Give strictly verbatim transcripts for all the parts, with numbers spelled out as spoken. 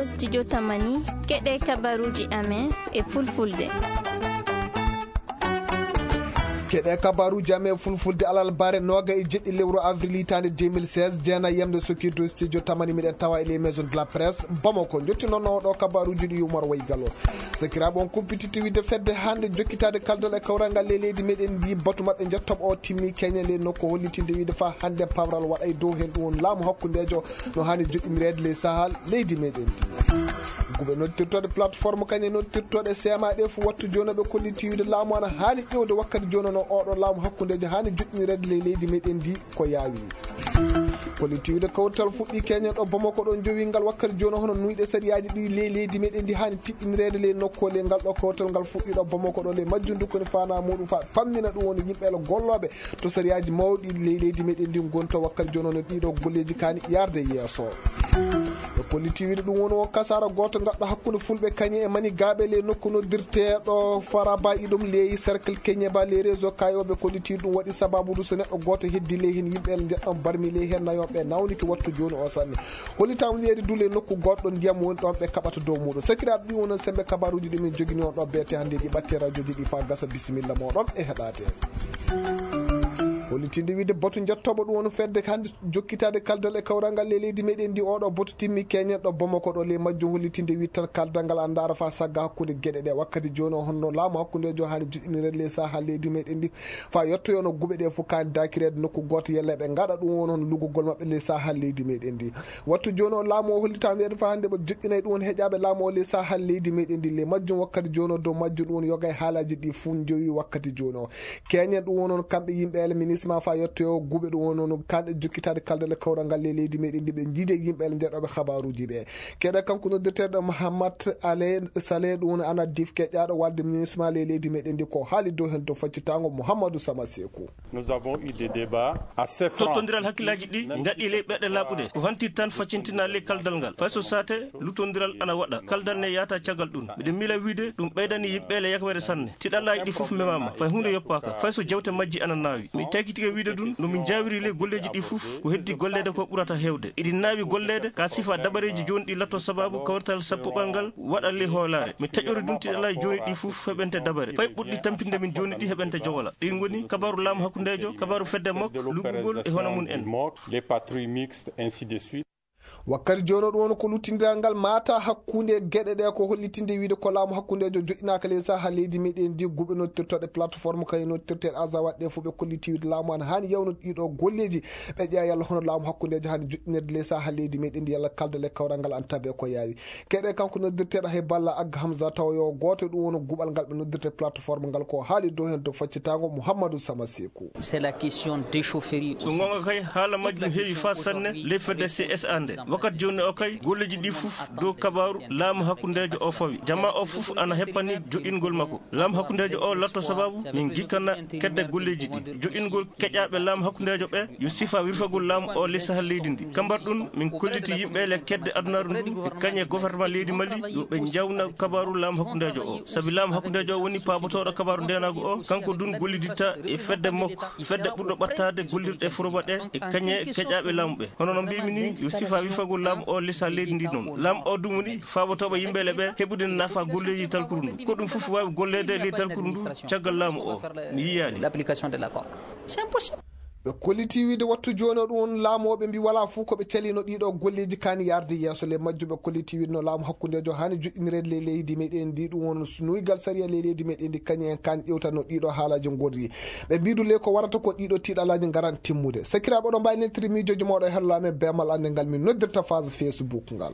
Studio Tamani, keɗe kabaruji amen e fulfulde. Keɗe kabaruji amen e fulfulde alarba nooga e jeɗɗi lewru avril hitaande deux mille seize, jeena yamde sokirdu studio Tamani, miɗen tawa e les maisons de la presse Bamako. Jottinono ɗo kabaruji ɗi Umar Waygalo. Sakiraaɓe, on kumpititti wiide fedde hannde jokkitaade kaldal e kawral ngal ley leydi meɗen ndi, batu maɓɓe njettoɓo o timmi keñe ley nokku hollitinde wiide fa hannde pawral waɗay dow heen ɗum woni laamu hakkundeejo no haani joɗɗinireede ley sahaa leydi meɗen ndi. Guɓe noddirtooɗe plateforme kañe noddirtooɗe C M A ɗe fof wattu jooni ɓe kolliti wiide laamu ana haani ƴeewde wakkati jooni no oɗo laamu hakkundeejo haani joɗɗinireede ley leydi meɗen ndi ko yaawi. Kolliti wiide kawtal fuɗɗi keñen ɗo Bamako ɗo jowi ngal wakkati jooni hono nuyɗe sariyaaji ɗi ley leydi meɗen ndi haani tiɗɗinireede ley nokku ley ngal ɗo kawtal ngal fuɗɗi ɗo Bamako ɗo ley majjum ndu koni faanaa muɗum fa pammina ɗum woni yimɓe gollooɓe to sariyaaji mawɗi ley leydi meɗen ndi ngonta wakkati jooni no ɗiɗo golleeji kaani yarde yeeso. Ɓe kolliti wiide ɗum woni o kasaara gooto ngaɗɗo hakkunde fulɓe kañe e manigaaɓe ley nokku noddirteeɗo Faraba iɗum ley cercle keñe ba ley réseau kayoɓe kolliti ɗum waɗi sababu ɗum so neɗɗo gooto heddi ley heen yimɓe njeɗɗon barmi ley heen nayoɓe nawniki wattu jooni o sanne. Hollitaama wiyeede dule nokku goɗɗo ndiyam woni ɗon ɓe kaɓata dow muɗum. Sakiraaɓe, ɗi wonon sembe kabaruuji ɗi min jogini on ɗo beete hannde ɗi ɓatte rajoji ɗi fa gasa bisimilla moɗon e heɗaade. Hollitinde wiide batu njettoɓo ɗum woni fedde hannde jokkitaade kaldal e kawral ngal ley leydi meɗen ndi oɗo batu timmi keñen ɗo Bamako ɗo ley majjum hollitinde wiide tan kaldal ngal anndaara fa sagga hakkunde geɗe ɗe wakkati jooni o honno laamu hakkundejo haani joɗɗinirede ley saha leydi meɗen ndi fa yettoyono guɓe ɗe fof kaani dakireede nokku gooto yelle ɓe ngaɗa ɗum won hon lugugol maɓɓe ley saha leydi meɗen ndi. Wattu jooni o laamu o hollitaama wiyeede fa hannde ɓe joɗɗinay ɗum won heƴaaɓe laamu o ley saha leydi meɗen ndi ley majjum wakkati jooni o dow majjum ɗum won yoga e haalaji ɗi fof jowi wakkati jooni o keñen ɗum won hon kamɓe yimɓe ele ministre ma fa yettoyo guɓe ɗum won hon kanɗe jokkitaade kaldale kawral ngal ley leydi meɗen ndi ɓe jiidi e yimɓe ele njeɗoɓe habaruji ɓe keɗe kanko noddirteɗo Mahamat Ale Sale ɗum won ana dif keƴƴaɗo walde ministre ma ley leydi meɗen ndi ko haali dow hen dow faccitango Mouhamadou Sama Sekou. Nous avons eu des débats assez francs. Tottondiral hakkillaji ɗi ngaɗi ley ɓeɗe laaɓuɗe ko hantir tan faccintina ley kaldal ngal fay so sate luttondiral ana waɗa kaldal ne yahata caggal ɗum miɗen mila wiide ɗum ɓeydani yimɓe le yakawere sanne tiɗallaji ɗi fof memama fay hunde yoppaka fay so jewte majji ana naawi mi taykitike wiide ɗum no min jawiri ley golleji ɗi fof ko heddi gollede ko ɓurata hewde iɗi naawi gollede ka sifa dabareji joni ɗi latto sababu kawrital sappoɓal ngal waɗa ley hoolare mi taƴori ɗum tiɗallaji joni ɗi fof heɓente dabare fay ɓurɗi tampinde min joni ɗi heɓente jogola ɗin ngoni kabaru laamu hakkundejo kabaru fedde mok luggugol e hono mum en. Les patrouilles mixtes, ainsi de suite. Wakkati jooni ɗum woni ko luttindiral ngal mata hakkunde geɗe ɗe ko hollitinde wiide ko laamu hakkundejo joɗɗinaaka ley saha leydi meɗen ndi guɓe nottirtoɗe plateforme kañum nottirteɗe azawat ɗe fof ɓe kolliti wiide laamu an haani yawnude ɗiɗo golleji ɓe ƴeewa yalla hono laamu hakkundejo haani joɗɗinirde ley saha leydi meɗen ndi yalla kaldale kawral ngal an tabe ko yaawi Keɗe kanko noddirteeɗo hay balla Agga Hamza tawa yo gooto ɗum woni guɓal ngal ɓe noddirta plateforme ngal ko haali dow heen dow faccitango Mouhamadou Sama Sekou. C'est la question d'échaufferie au so sein goonga de kay haala majjum heewi faa sanne ley fedde C S A nde wakkati jooni o kay golleeji ɗi fof dow kabaaru laamu hakkundeejo o fawi jama o fof ana heppani joɗɗingol makko laamu hakkundeejo o latto sababu min gikkana kedde golleeji ɗi joɗɗingol keƴaaɓe laamu hakkundeejo ɓe yo sifa wirfagol laamu o ley sahal leydi ndi kambar ɗum min kolliti yimɓe le kedde adunaaru ndu e kañe gouvernement leydi mali yo ɓe njawna kabaru laamu hakkundeejo o sabi laamu hakkundeejo o woni paabotooɗo kabaru ndeenaagu o kanko dun golliditta e fedde mok fedde ɓurɗo ɓattaade gollirɗe foroba ɗe e kañe keƴaaɓe laamu ɓe hono no mbimi ni yo sifa wirfagol laamu o ley sahal leydi ndi noon laamu o dum woni faabotooɓe yimɓe le ɓe heɓude nafa golleeji talkuru ndu ko ɗum fof waawi golleede ley talkuru ndu caggal laamu o mi yiyaali. L'application de l'accord. C'est impossible. Ɓe kolliti wiide wattu jooni o ɗum won laamooɓe mbi walaa fof ko ɓe calino ɗiɗo golleeji kaani yarde yeeso le majjuɓe kolliti wiide no laamu hakkundeejo haani joɗɗinireede ley leydi meɗen ndi ɗum won nuygal sariya ley leydi meɗen ndi kañum en kaani ƴewtatno ɗiɗo haalaji ngorri ɓe mbidu le ko warata ko ɗiɗo tiiɗalaji ngaran timmude sakiraaɓe oɗo mbawi neltiri miijoji mawɗo e hello amen bemal annde ngal min noddirta phase Facebook ngal.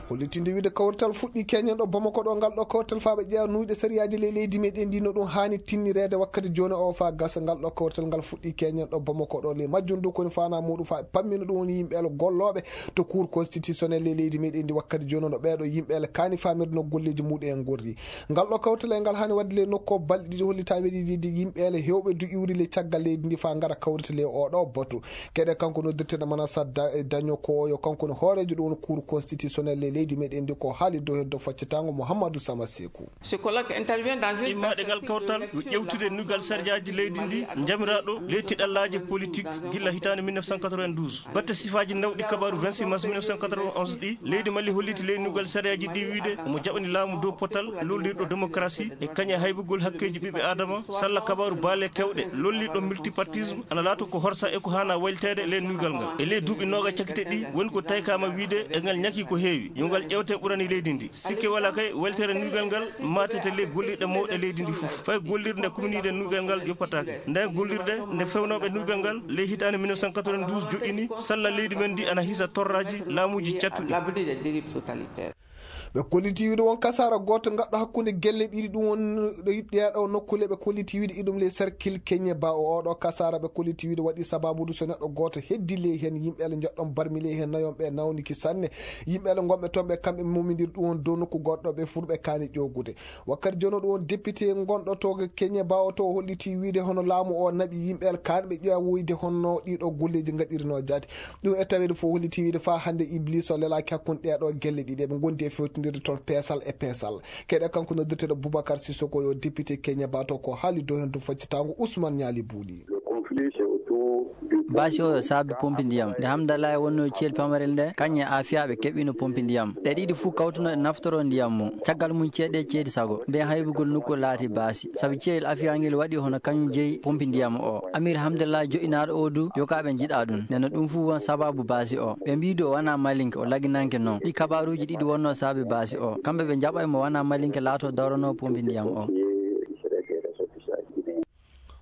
Hollitinde wiide kawrital fuɗɗi keñen ɗo Bamako ɗo ngal ɗo kawrital faa ɓe ƴeewa nuyɗe sariyaaji ley leydi meɗen ndi no ɗum haani tinnireede wakkati jooni o faa gasa ngal ɗo kawrital ngal fuɗɗi keñen ɗo Bamako ɗo ley majjum du koni faanaa muɗum faa ɓe pammina ɗum woni yimɓe el gollooɓe to cour constitutionnel ley leydi meɗen ndi wakkati jooni no ɓeeɗo yimɓe el kaani faamirde no golleeji muɗum en ngorri ngal ɗo kawrital e ngal haani waɗde ley nokku o balɗe ɗiɗi hollitaa weɗiɗiɗi yimɓe ele heewɓe du iwri ley caggal leydi ndi faa ngara kawrita ley oo ɗoo batu keɗe kanko noddirteeɗo manasa daño ko yo kanko no hooreejo ɗum woni cour constitutionnel ley Leydi meɗen ndi ko haali dow heddo faccitaango Mouhamadou Sama Sekou. Immaaɗe ngal kawtal yo ƴewtude nuygal sarjaaji leydi ndi, jamiraaɗo ley tiɗallaaji politik gilla hitaande mille neuf cent quatre-vingt-douze. Batte sifaaji nawɗi kabaaru vingt-six mars mille neuf cent quatre-vingt-onze ɗi, leydi Mali holliti ley nuygal sarjaaji ɗi wiide omo jaɓani laamu dow potal lollirɗo démocratie e kañe haybugol hakkeeji ɓiɓɓe Aadama, salla kabaaru baale kewɗe, lollirɗo multipartisme, ana laato ko horsa e ko haana wayliteede ley nuygal ngal. E ley duuɓi nooga cakite ɗi, woni ko taykaama wiide e ngal ñaki ko heewi. Yo ngal ƴeewte ɓurani leydi ndi. Sikke wala kay, weltere nuygal ngal maatete ley gollirɗe mawɗe leydi ndi fof. Fay gollirde nde kumniiɗe nuygal ngal yoppataake. Nden gollirde nde fewnooɓe nuygal ngal ley hitaande mille neuf cent quatre-vingt-douze joƴƴini, salla leydi men ndi ana hisa torraaji laamuuji cattuɗi. Ɓe kolliti wiide won kasaara gooto ngaɗɗo hakkunde gelle ɗiɗi, ɗum won ɗo yiɗɗe ɗo nokkule. Ɓe kolliti wiide iɗum ley cercle Keñe Ba o, oɗo kasaara ɓe kolliti wiide waɗi sababudu so neɗɗo gooto heddi ley heen yimɓe ele njeɗɗon barmi ley heen nayon ɓe nawniki sanne. Yimɓe ele ngonɓe toon ɓe kamɓe mumindir ɗum won dow nokku goɗɗo ɓe furɓe kaani ƴoogude. Wakkati jooni ɗum won député gonɗo to Keñe Ba o to holliti wiide hono laamu o naɓi yimɓe ele kaani ɓe ƴeewoyde honno ɗiɗo golleeji ngaɗirino jaati. Ɗum e taweede fof holliti wiide faa hannde Iblis o lelaaki hakkunde ɗee ɗo gelle ɗiɗi. Eɓe ngondi e fewtindirde toon peesal e peesal. Keɗe kanko noddirteeɗo Boubacar Sissoko yo député Keñe Ba to ko haali dow heen to faccitaango Ousmane Ñaali Buuli. Baasi o yo saabi pompi ndiyam. Nde Hamdallah e wonno ciyel pamarel nde, kañum e Afia ɓe keɓino pompi ndiyam. Ɗe ɗiɗi fuu kawtuno e naftoro ndiyam mum. Caggal mum ceeɗe ceedi sago. Nde haybugol nokku laati baasi. Sabu ciyel Afia ngel waɗi hono kañum jeyi pompi ndiyam o. Amir Hamdallah joɗɗinaaɗo o du, yo ka ɓe njiɗa ɗum. Nde no ɗum fuu won sababu baasi o. Ɓe mbii du o wona malinke, o laginanke noon. Ɗi kabaaruuji ɗiɗi wonno saabi baasi o. Kamɓe ɓe njaɓay mo wona malinke laato darono pompi ndiyam o.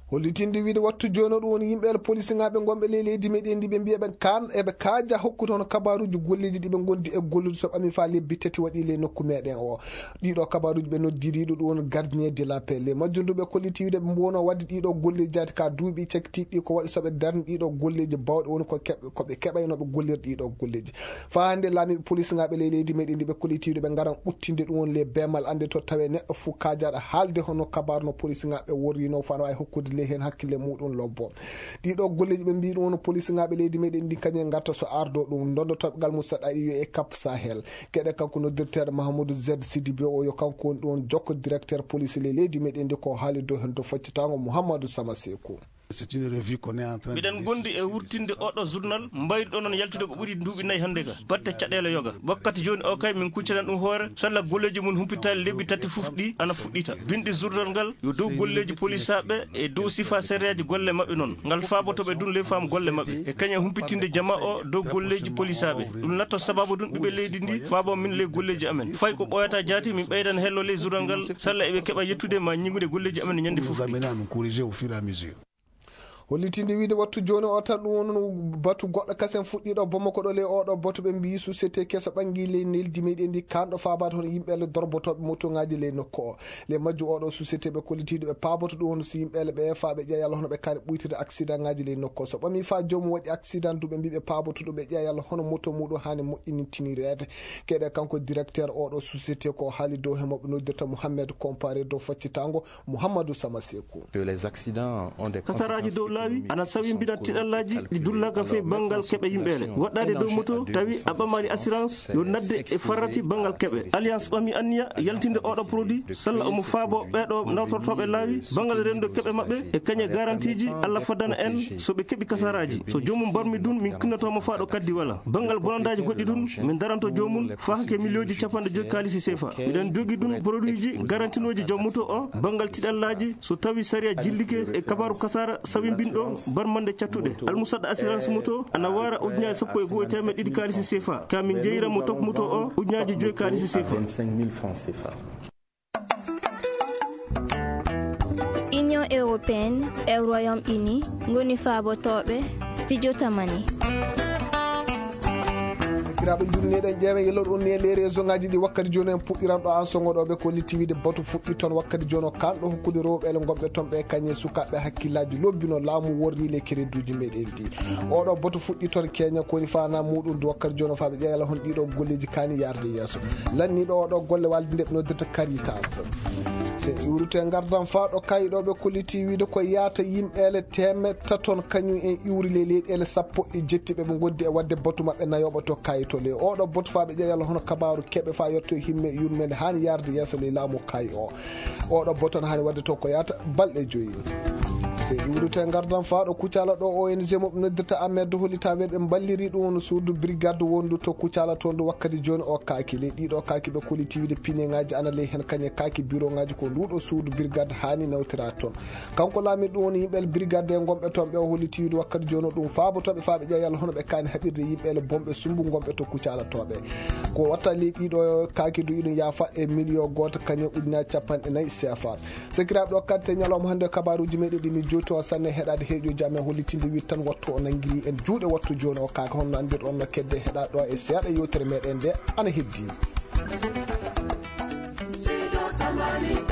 Hollitinde wiide wattu jooni o ɗum woni yimɓe el polisinaaɓe ngonɓe ley leydi meɗen ndi ɓe mbiya ɓe kaan eɓe kaaja hokkude hono kabaaruuji golleeji ɗi ɓe ngondi e gollude so ɓami faa lebbi tati waɗi ley nokku meɗen o. Ɗiɗo kabaaruuji ɓe noddiriiɗo ɗum woni gardien de la paix. Ley majjum du ɓe kolliti wiide ɓe mbono waɗde ɗiɗo golleeji jaati ka duuɓi cakitiiɗi ɗi ko waɗi so ɓe darni ɗiɗo golleeji bawɗe woni ko keɓ-, ko ɓe keɓaynooɓe gollirde ɗiɗo golleeji. Faa hannde laamiiɓe polisinaaɓe ley leydi meɗen ndi ɓe kolliti wiide ɓe ngaran uttinde ɗum woni ley beemal annde to tawe neɗɗo fof kaajaɗo haalde hono kabaaru no polisinaaɓe worrino faa no waawi hokkude ley heen hakkille muɗum lobbo. Ɗiɗo golleeji ɓe mbii ɗum woni polisinaaɓe leydi meɗen ndi kañum ngarta so ardo ɗum ndondotoɓe gal Moussa Ɗaɗi yo e Cap Sahel. Keɗe kanko noddirteeɗo Mahamadou Z Sidibé o yo kanko woni ɗum jokko directeur police ley leydi meɗen ndi ko haali dow heen to faccitaango Mouhamadou Sama Sekou. C'est une revue qu'on est en train de Miɗen gondi e wurtinde oɗo journal mbayruɗo noon yaltude ko ɓuri duuɓi nayi hannde ka batte caɗeele yoga. Wakkati jooni o kay min kuccanan ɗum hoore salla golleeji mum humpitaali lebbi tati fof ɗi ana fuɗɗita. Binɗi journal ngal yo dow golleeji polisaaɓe e dow sifa sereeji golle maɓɓe noon. Ngal faaboto ɓe dun ley faamu golle maɓɓe e kañum humpitinde jama o dow golleeji polisaaɓe. Ɗum latto sababu ɗum ɓiɓɓe leydi ndi faabo min ley golleeji amen. Fay ko ɓooyata jaati min ɓeydan hello ley journal ngal salla eɓe keɓa yettude ma ñiŋude golleeji amen ñande fof. Vous amenez à nous corriger au fur et à mesure. Hollitinde wiide wattu jooni o tan ɗum woni batu goɗɗo kasen fuɗɗiiɗo Bamako ɗo ley oɗo batu ɓe mbiyi société keso ɓangi ley neldi meɗen ndi kanɗo faabaade hono yimɓe le dorbotooɓe motoŋaaji ley nokku o. Ley majju oɗo société ɓe kollitiiɗo ɓe paaboto ɗum woni so yimɓe le ɓe faa ɓe ƴeeya yalla hono ɓe kaani ɓuytude accident ŋaaji ley nokku o. So ɓami faa joomum waɗi accident du ɓe mbi ɓe paaboto ɗum ɓe ƴeeya yalla hono moto muɗum haani moƴƴinintinireede. Keɗe kanko directeur oɗo société ko haali dow he moɓe noddirta Mohamed Comparé dow faccitaango Mouhamadou Sama Sekou. Que les accidents ont des Kasaraaji dow laawi ana sawimbina tiɗallaaji ɗi dullaaka fey banngal keɓe yimɓe ne. Waɗɗaade dow moto tawi a ɓamaani assurance yo nadde e farrati banngal keɓe. Alliance ɓami anniya yaltinde oɗo produit salla omo faabo ɓeeɗo nawtortooɓe laawi banngal renndo keɓe maɓɓe e kañe garantiiji Allah faddana en so ɓe keɓi kasaraaji. So joomum barmi dun min kinnotomo faa ɗo kaddi wala. Banngal bonandaaji goɗɗi dun min daranto joomum faa hake miliyonji capanɗe joyi kaalisi sefa. Miɗen jogi dun produitji garantinooji joom moto o banngal tiɗallaaji so tawi sariya jillike e kabaaru kasaara sawimbinɗo barmande cattuɗe. Almusadda assurance moto ana waara ujunaaji sappo e go'o e teemeɗɗe ɗiɗi kaalisi sefa. Ka min jeyira mo top moto o ujunaaji joyi kaalisi sefa. Union européenne e Royaume-Uni ngoni faabotooɓe Studio Tamani. Sakiraaɓe, njurneɗen ƴeewen yelor on ni e les réseau ngaji ɗi wakkati jooni en puɗɗiran ɗo an songoɗoɓe ko litti wiide batu fuɗɗi toon wakkati jooni o kanɗo hokkude rewɓe ele gonɓe toon ɓe kañe sukaaɓe hakkillaaji lobbino laamu worri le kereduuji meɗen ɗi. Oɗo batu fuɗɗi toon keña koni fana muɗum du wakkati jooni o faaɓe ƴeewa yalla hon ɗiɗo golleeji kaani yaarde yeeso. Lanniiɓe oɗo golle walde nde ɓe noddirta Caritas. Se iwrute ngardan faa ɗo kayi ɗo ɓe kolliti wiide ko yaata yimɓe ele teemeɗɗe taton kañum en iwri le leyɗele sappo e jetti ɓe ɓe ngondi e wadde batu maɓɓe nayoɓo to kayi To ley oɗo boto faa ɓe ƴeewa yalla hono kabaaru keɓe faa yotto e himme yurmeende haani yaarde yeeso ley laamu kaayi o. Oɗo boto no haani waɗde to ko yaata balɗe joyi. Se iwrute ngardam faa ɗo Kucala ɗo O N G mo ɓe noddirta Ahmed Doholi tan ɓe mballiri ɗum on suudu brigade wondu to Kucala toon ɗo wakkati jooni o kaaki. Ley ɗiɗo kaaki ɓe kuli tiwide pineŋaaji ana ley heen kañe kaaki biroŋaaji ko nduɗo suudu brigade haani nawtira toon. Kanko laamiɗo ɗum woni yimɓe brigade ngonɓe toon ɓe o holli tiwide wakkati jooni o ɗum faabotooɓe faa ɓe ƴeewa yalla hono ɓe kaani haɓirde yimɓe ele bonɓe sumbu ngonɓe to Kucala tooɓe. Ko watta ley ɗiɗo kaaki du iɗum yaafa e miliyo gooto kañum ujunaaji capanɗe nayi C F A. Sekiraaɓe ɗo kadi te ñalawma hannde o kabaaruuji meɗen ɗi min jowti on sanne heɗaade heeƴo jam e hollitinde wiɗ tan wattu o nanngiri en juuɗe wattu jooni o kaaka honno anndir on no kedde heɗa ɗo e seeɗa yewtere meɗen nde ana heddi. Sido Tamani.